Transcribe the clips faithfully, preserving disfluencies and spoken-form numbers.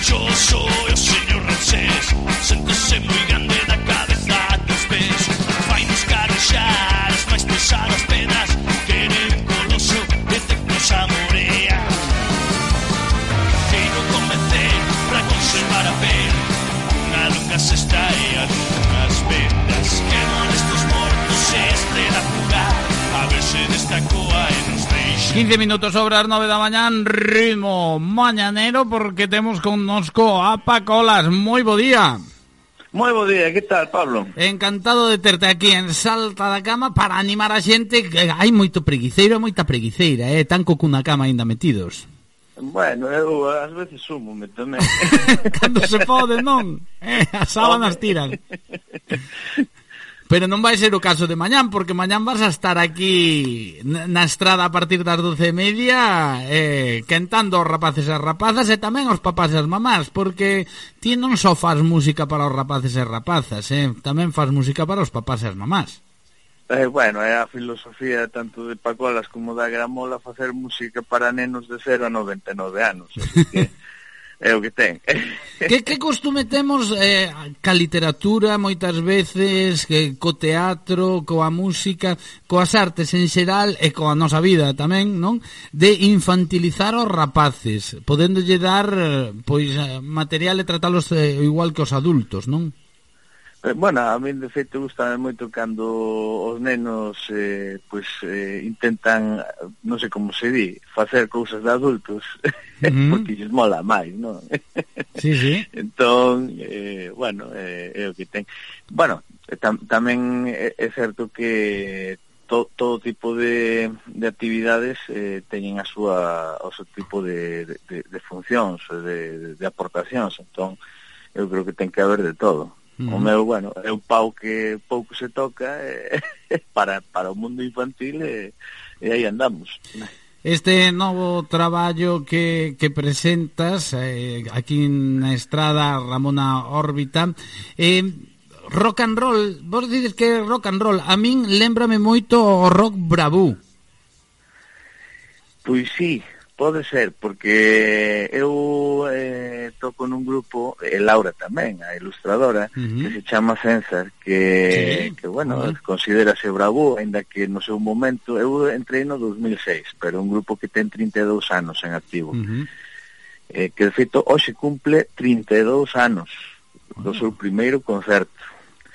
Yo soy o señor Ramsés, séntese moi grande da cabeza dos pés. Vai nos carexar as máis pesadas pedras, queren coloso de cercos a morea. Quero convencer para conservar a fe, unha longa cesta e algunhas vendas. Queman estos mortos e estrela jugar, a ver se destacoa e nos deixa. quince minutos sobre as nove da mañán, ritmo mañanero, porque temos connosco a Paco Olas. Moi bo día. Moi bo día, que tal, Pablo? Encantado de terte aquí en Salta da Cama para animar a xente, que hai moito preguiceiro, moita preguiceira, eh, tan co cunha cama aínda metidos. Bueno, eu ás veces súmome tamén. Cando se pode, non? Eh, as sábanas tiran. Pero non vai ser o caso de mañán, porque mañán vas a estar aquí na estrada a partir das doce e media eh, quentando os rapaces e as rapazas e tamén os papás e as mamás, porque ti non só faz música para os rapaces e rapazas, eh, tamén faz música para os papás e as mamás. Eh, bueno, é a filosofía tanto de Paco Olas como da Gramola facer música para nenos de cero a noventa e nove anos, así que é o que ten. Que, que costume temos eh, ca literatura moitas veces, que co teatro, coa música, coas artes en xeral e coa nosa vida tamén, non? De infantilizar os rapaces, podéndolle dar pois material e tratalos eh, igual que os adultos, non? Bueno, a mí de feito gusta moito cando os nenos eh, pues, eh, intentan, non sei como se di, facer cousas de adultos, uh-huh. porque lles mola máis, non? Sí, sí. Entón, eh, bueno, eh, é o que ten. Bueno, tam, tamén é, é certo que to, todo tipo de, de actividades eh, teñen a súa, o seu tipo de, de, de funcións, de, de aportacións, entón eu creo que ten que haber de todo. Mm. O meu, bueno, é un pau que pouco se toca eh, para, para o mundo infantil e, e aí andamos. Este novo traballo que, que presentas eh, aquí na estrada Ramona Órbita, eh, rock and roll, vos dices que é rock and roll, a min lémbrame moito o rock bravú. Pois sí, pode ser, porque eu eh, toco nun grupo, e Laura tamén, a ilustradora, uh-huh. que se chama Censar, que, sí, que bueno, uh-huh. considérase bravú, ainda que no seu momento, eu entrei no dos mil seis, pero un grupo que ten trinta e dous anos en activo, uh-huh. eh, que de feito hoxe cumple trinta e dous anos do uh-huh. seu primeiro concerto.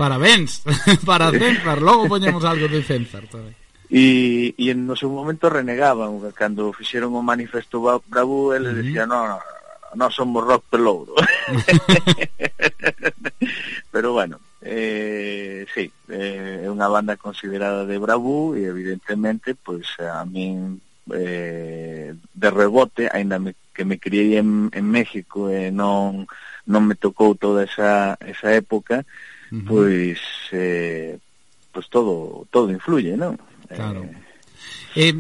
Parabéns, para Censar, logo poñemos algo de Censar tamén. E, e no seu momento renegaban, cando fixeron o manifesto bravú, eles uh-huh. decían, no, no, no somos rock pelouro. Pero bueno, eh, sí, eh, é unha banda considerada de bravú e evidentemente, pois a min eh, de rebote, aínda me, que me criei en, en México e non, non me tocou toda esa, esa época, uh-huh. pois eh, pois todo, todo influye, non? Claro. Eh,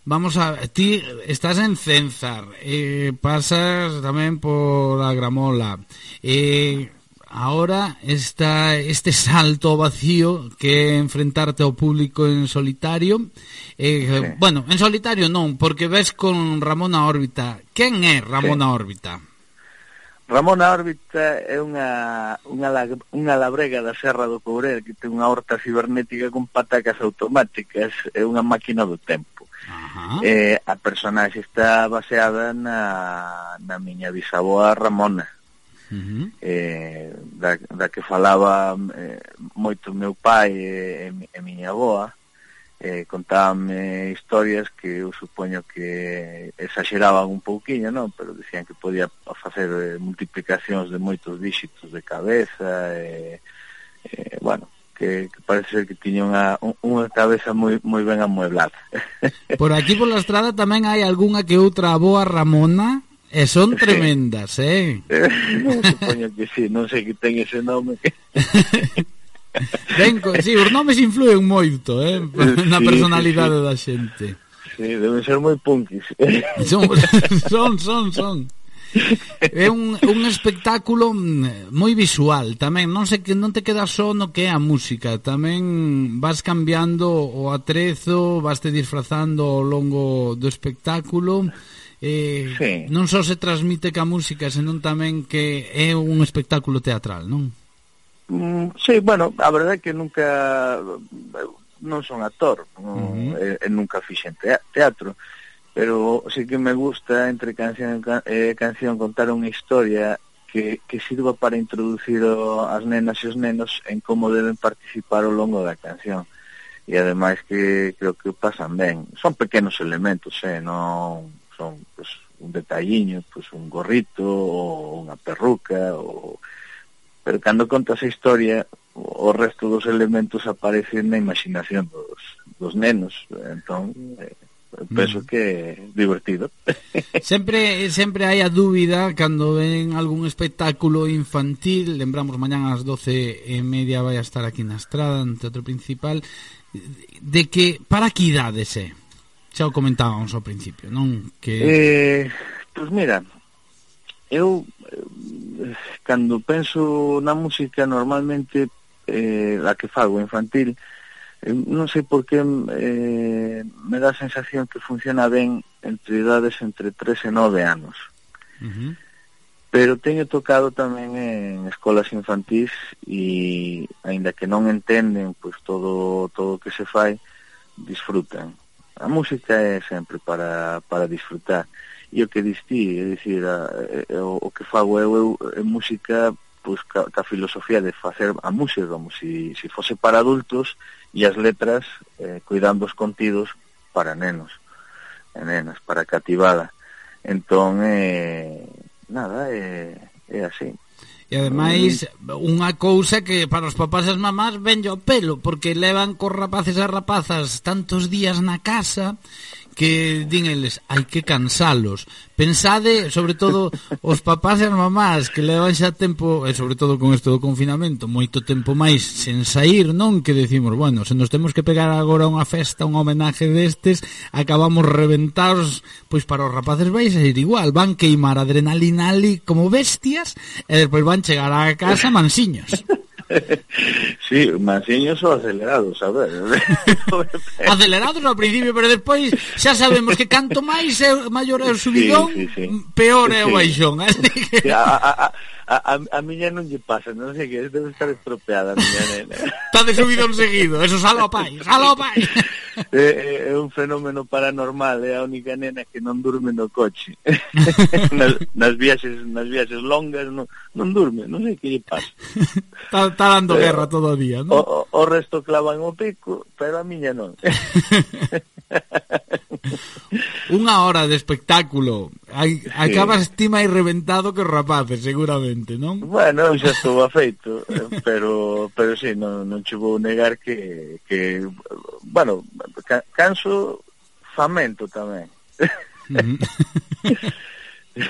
vamos a... Ti estás en Censar, eh, pasas tamén por a Gramola. Eh, ahora está este salto vacío que é enfrentarte ao público en solitario. Eh, sí. Bueno, en solitario non, porque ves con Ramona Órbita. Quen é Ramona sí. Órbita? Ramona Órbita é unha, unha, unha labrega da Serra do Courel que ten unha horta cibernética con patacas automáticas, é unha máquina do tempo. Uh-huh. Eh, a personaxe está baseada na, na miña bisavoa Ramona, uh-huh. eh, da, da que falaba eh, moito meu pai e, e miña avoa. Eh, contábame historias que eu supoño que exageraban un pouquiño, non? Pero decían que podía facer eh, multiplicacións de moitos díxitos de cabeza e, eh, bueno, que, que parece ser que tiña unha, unha cabeza moi, moi ben amueblada. Por aquí por la estrada tamén hai algunha que outra aboa Ramona e son sí. tremendas, eh? Supoño que sí, non sei que ten ese nome. Ben, sí, os nomes influen moito, eh, na personalidade sí, sí, sí. da xente. Sí, deben ser moi punkis. Son, son, son, son. É un, un espectáculo moi visual tamén, non sei que non te quedas só no que é a música, tamén vas cambiando o atrezo, vas te disfrazando ao longo do espectáculo eh, sí. non só se transmite ca música, senón tamén que é un espectáculo teatral, non? Mm, sí, bueno, a verdade é que nunca non son actor, non, uh-huh. e, e nunca fixen teatro, pero sí que me gusta entre canción e canción contar unha historia que, que sirva para introducir o, as nenas e os nenos en como deben participar ao longo da canción. E ademais que creo que pasan ben. Son pequenos elementos, eh, non son pues, un detalliño, pues, un gorrito ou unha perruca, ou... pero cando contas a historia o resto dos elementos aparecen na imaginación dos, dos nenos. Entón, eh, penso que é divertido. Sempre sempre hai a dúbida cando ven algún espectáculo infantil. Lembramos, mañán ás doce e media vai a estar aquí na Estrada, no Teatro Principal, de que para que idades é? Xa o comentábamos ao principio, non? Que eh, pois mira, eu eh, cando penso na música normalmente eh, a que fago infantil, eh, non sei por que eh, me dá a sensación que funciona ben entre idades entre tres e nove anos. Uh-huh. Pero teño tocado tamén en escolas infantís e, aínda que non entenden pois todo todo o que se fai, disfrutan. A música é sempre para, para disfrutar. E o que distí, é dicir, a, a, o, o que fago eu, eu é música pois, ca, ca filosofía de facer a música como se si, si fose para adultos e as letras eh, cuidando os contidos para nenos e nenas, para cativada. Entón, eh, nada, é, é así. E ademais, unha cousa que para os papás e as mamás venlle ao pelo, porque levan cos rapaces e rapazas tantos días na casa que din eles, hai que cansalos. Pensade, sobre todo, os papás e as mamás que levan xa tempo, e sobre todo con isto do confinamento, moito tempo máis sen sair, non? Que decimos, bueno, se nos temos que pegar agora unha festa, un homenaje destes, acabamos reventados, pois para os rapaces vais a ir igual, van queimar adrenalina ali como bestias, e despois van chegar á casa mansiños. Sí, mansiños ou acelerados, a ver. Acelerados ao principio, pero despois xa sabemos que canto máis é maior é o subidón, sí, sí, sí. peor é o baixón. Sí, a, a, a, a, a miña non lle pasa, non sei que debe estar estropeada a miña nena. Está de subidón seguido, eso salo ao pai, salo ao pai. É, é un fenómeno paranormal, é a única nena que non durme no coche. nas, nas viaxes nas viaxes longas non, non durme, non sei que lle pasa. Está, está dando pero, guerra todo o día, non? O, o resto clavan o pico, pero a miña non. Unha hora de espectáculo. Hai, sí. Acabas ti máis reventado que os rapaces, seguramente, non? Bueno, xa estou afeito, pero pero sí, non, non che vou negar que, que bueno, ca, canso famento tamén. Uh-huh.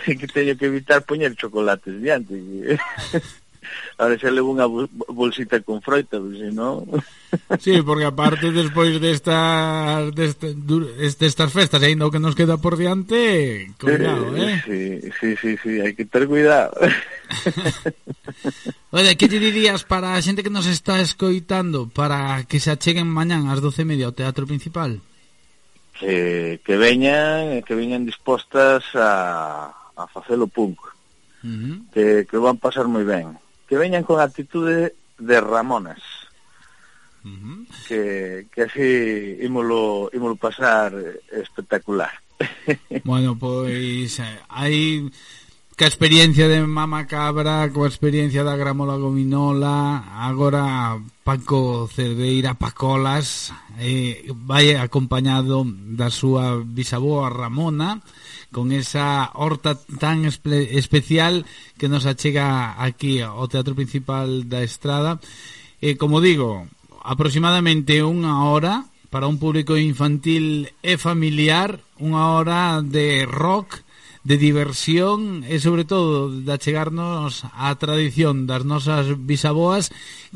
Que teño que evitar poñer chocolates diante. Ahora xa levo unha bolsita con froita, se non... Sí, porque aparte despois destas destas, destas festas, ainda o que nos queda por diante, cuidado, eh? Sí, sí, sí, sí, hai que ter cuidado. Oye, que te dirías para a xente que nos está escoitando para que se acheguen mañán ás doce e media ao Teatro Principal? Que, que veñan, que veñan dispostas a, a facelo punk. Uh-huh. Que, que van pasar moi ben. Que veñan con actitude de Ramonas. Uh-huh. que, que así ímolo, ímolo pasar espectacular. Bueno, pois hai que a experiencia de Mama Cabra, coa experiencia da Gramola Gominola, agora Paco Cerdeira Pacolas, eh, vai acompañado da súa bisaboa Ramona, con esa horta tan espe- especial que nos achega aquí ao Teatro Principal da Estrada. E, como digo, aproximadamente unha hora para un público infantil e familiar, unha hora de rock, de diversión e sobre todo de achegarnos á tradición das nosas bisaboas,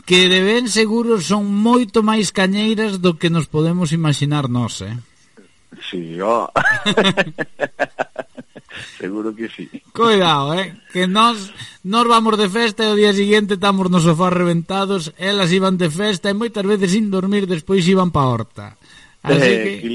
que de ben seguro son moito máis cañeiras do que nos podemos imaginar nós, eh? Sí, ó. Seguro que sí. Cuidado, eh, que nos nos vamos de festa e o día siguiente estamos nos sofás reventados, elas iban de festa e moitas veces sin dormir despois iban pa horta. Así eh, que...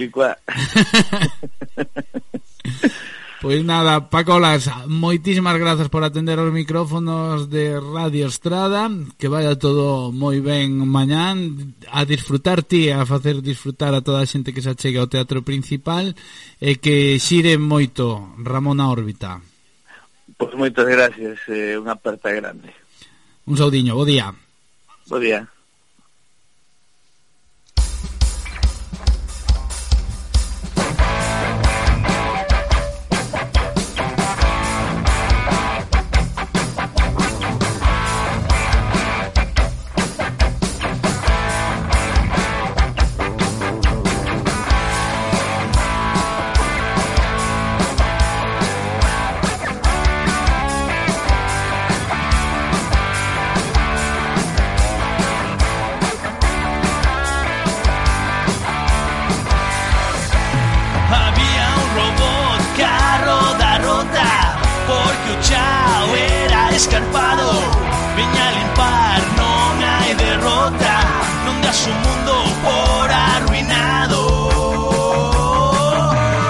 Pois nada, Pacolas, moitísimas grazas por atender os micrófonos de Radio Estrada, que vaya todo moi ben mañán, a disfrutar ti, a facer disfrutar a toda a xente que se achega ao teatro principal, e que xire moito Ramón a órbita. Pois moitas gracias, é unha aperta grande. Un saudiño, bo día. Bo día. Escarpado, veña a limpar, non hai derrota, non das un mundo por arruinado.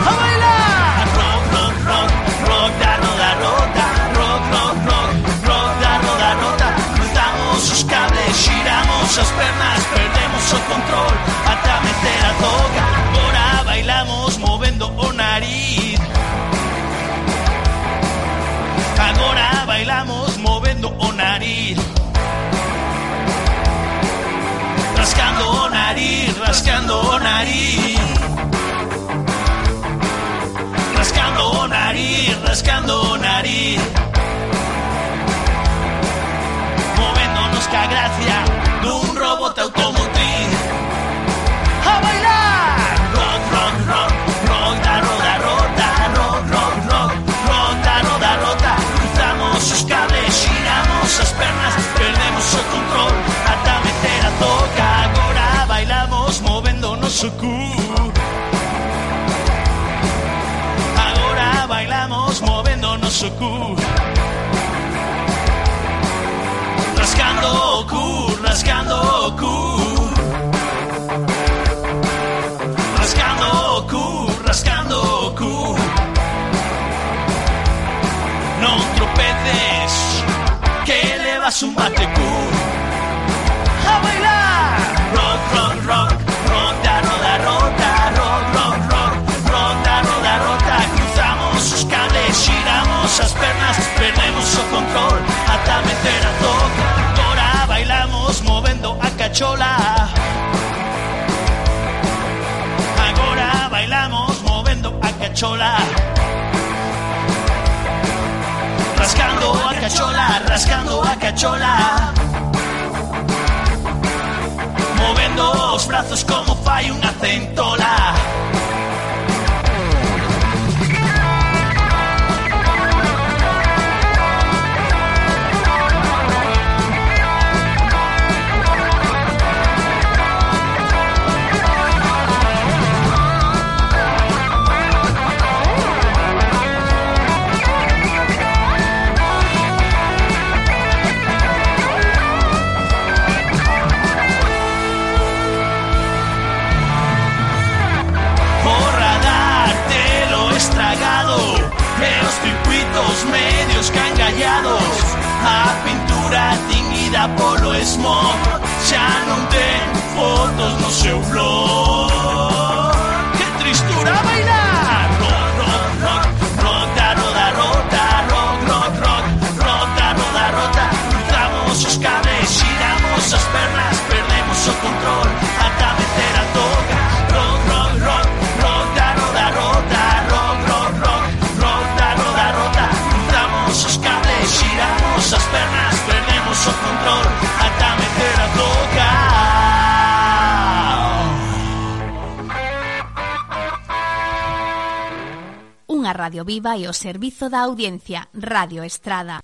A bailar! Rock, rock, rock, rock da roda rota, rock, rock, rock, rock da roda rota. Cruzamos os cables, xiramos as pernas, perdemos o control, ata meter a toca. Agora bailamos movendo o nariz. Agora bailamos movendo o nariz, rascando o nariz, rascando o nariz, rascando o nariz, rascando o nariz, movéndonos ca gracia dun robot automotriz. A bailar! Rock, rock, rock, rock da roda rota, rock, rock, rock, rock da roda rota. Os cables, xiramos as pernas, perdemos o control, ata meter a toca. Agora bailamos movendo o noso cu. Agora bailamos movendo o noso cu. Rascando o cu, rascando o cu. Rascando o cu, rascando o cu. Non tropeces, que levas un batecú. A bailar! Rock, rock, rock, rock da roda rota, rock, rock, rock, rock da roda rota. Cruzamos os cables, xiramos as pernas, perdemos o control, ata meter a toca. Agora bailamos movendo a cachola. Agora bailamos movendo a cachola. Rascando a cachola, rascando a cachola, movendo os brazos como fai unha centola. Medios cangallados, a pintura tiñida polo smog, xa non ten fotos no seu blog. Que tristura bailar! Rock, rock, rock, rock da roda rota, rock, rock, rock, rock da roda rota. Cruzamos os cables, xiramos as pernas, perdemos o control, ata meter a toca. Rock, rock, rock, rock da roda rota, rock, rock, rock, rock da roda rota. Os cables, xiramos as pernas, perdemos o control, ata meter a toca. Unha radio viva e o servizo da audiencia, Radio Estrada.